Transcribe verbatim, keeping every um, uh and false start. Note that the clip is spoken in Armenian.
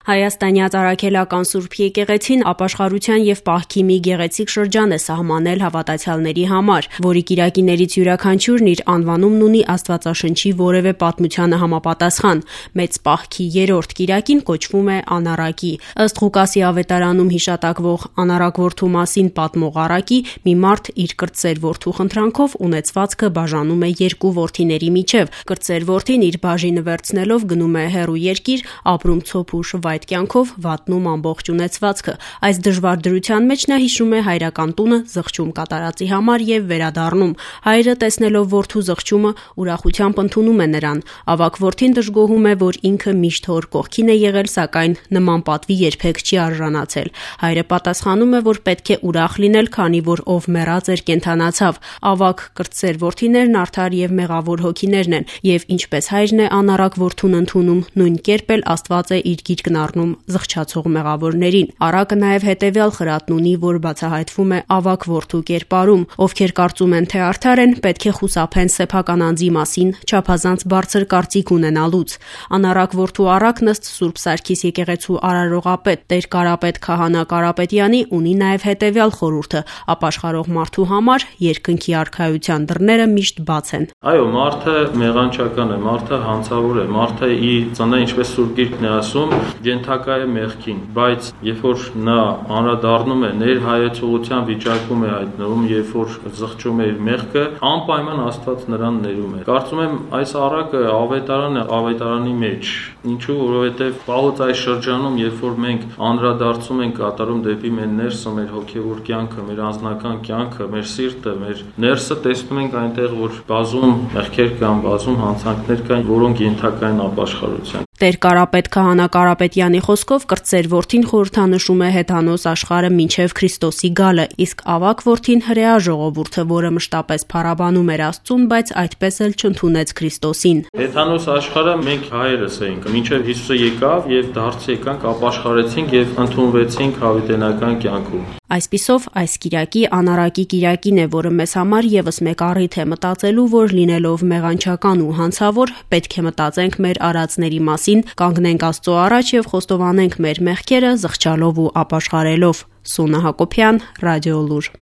Հայաստանյաց Առաքելական Սուրբ եկեղեցին ապաշխարության եւ պահքի մի գեղեցիկ շրջան է սահմանել հավատացյալների համար, որի կիրակիներից յուրաքանչյուրն իր անվանումն ունի Աստվածաշնչի որևէ պատմությանը համապատասխան։ Մեծ պահքի երրորդ կիրակին կոչվում է Անառակի։ Ըստ Ղուկասի ավետարանում հիշատակվող անառակ որդու մասին պատմող առակի, մի մարդ իր կրտսեր որդու խնդրանքով ունեցվածքը բաժանում է երկու որդիների միջև։ Կրտսեր որդին իր բաժինը վերցնելով գնում է հեռու երկիր, ապրում ցոփ ու շվայտ կյանքով, վատնում ամբողջ ունեցվածքը։ Այս դժվար դրության մեջ նա հիշում է հայրական տունը զղջում կատարածի համար եւ վերադառնում։ Հայրը, տեսնելով որդու զղջումը, ուրախությամբ ընդունում է նրան։ Ավագ որդին դժգոհում է, որ ինքը միշտ հոր կողքին է եղել, սակայն նման պատվի երբեք չի արժանացել։ Հայրը պատասխանում է, որ պետք է ուրախ լինել, քանի որ ով մեռած էր կենդանացավ։ Ավագ կրտսեր որդիներն արդար եւ մեղավոր հոգիներն են, եւ ինչպես հայրն է անառակ որդուն ընդունում, նույն կերպ էլ Աստված է իր գիրկն առնում զղջացող մեղավորներին։ Առակը նաև հետևյալ խրատն ունի, որ բացահայտվում է ավագ որդու կերպարում։ Ովքեր կարծում են, թե արդար են, պետք է խուսափեն սեփական անձի մասին չափազանց բարձր կարծիք ունենալուց։ Անառակ որդու առակն ըստ Սուրբ Սարգիս եկեղեցու արարողապետ Տեր Կարապետ Քահանա Կարապետյանի ունի նաև հետևյալ խորհուրդը՝ ապաշխարող մարդու համար երկնքի արքայության դռները միշտ բաց են։ Այո, մարդը մեղանչական է, մարդը հանցավոր է, մարդը ի ծնե, ինչպես Սուրբ Գիրքն է ասում, ենթակա է մեղքին, բայց երբ որ նա անդրադառնում է ներհայեցողության վիճակում է հայտնվում, երբ որ զղջում է իր մեղքը, անպայման Աստված նրան ներում է։ Կարծում եմ այս առակը ավետարան է ավետարանի մեջ, ինչու, որովհետև վաղուց այս շրջանում, երբ որ մենք անդրադարձում ենք կատարում դեպի մեր ներսը, մեր հոգևոր կյանքը, մեր անձնական կյանքը, մեր սիրտը, մեր ներսը, տեսնում ենք այնտեղ, որ բազում մեղքեր կան, բազում հանցանքներ կան, որոնք ենթակա են ապաշխարության։ Տեր Կարապետ Քահանա Կարապետյանի խոսքով կրտսեր որդին խորհրդանշում է հեթանոս աշխարհը մինչև Քրիստոսի գալը, իսկ ավագ որդին հրեա ժողովուրդը, որը մշտապես փառաբանում էր Աստծուն, բայց այդպես էլ չընդունեց Քրիստոսին։ Հեթանոս աշխարհը մենք հայերս էինք, մինչև Հիսուսը եկավ եւ դարձ եկանք, ապաշխարեցինք եւ ընդունվեցինք հավիտենական կյանքում։ Այսպիսով, այս կիրակի անառակի կիրակին է, որը մեզ համար եւս մեկ առիթ է մտածելու, որ լինելով մեղանչական ու հանցավոր, պետք է մտածենք մեր արածների մասին, կանգնենք Աստծո առաջ եւ խոստովանենք մեր մեղքերը զղջալով ու ապաշխարելով։ Սունա Հակոբյան, Ռադիոլուր։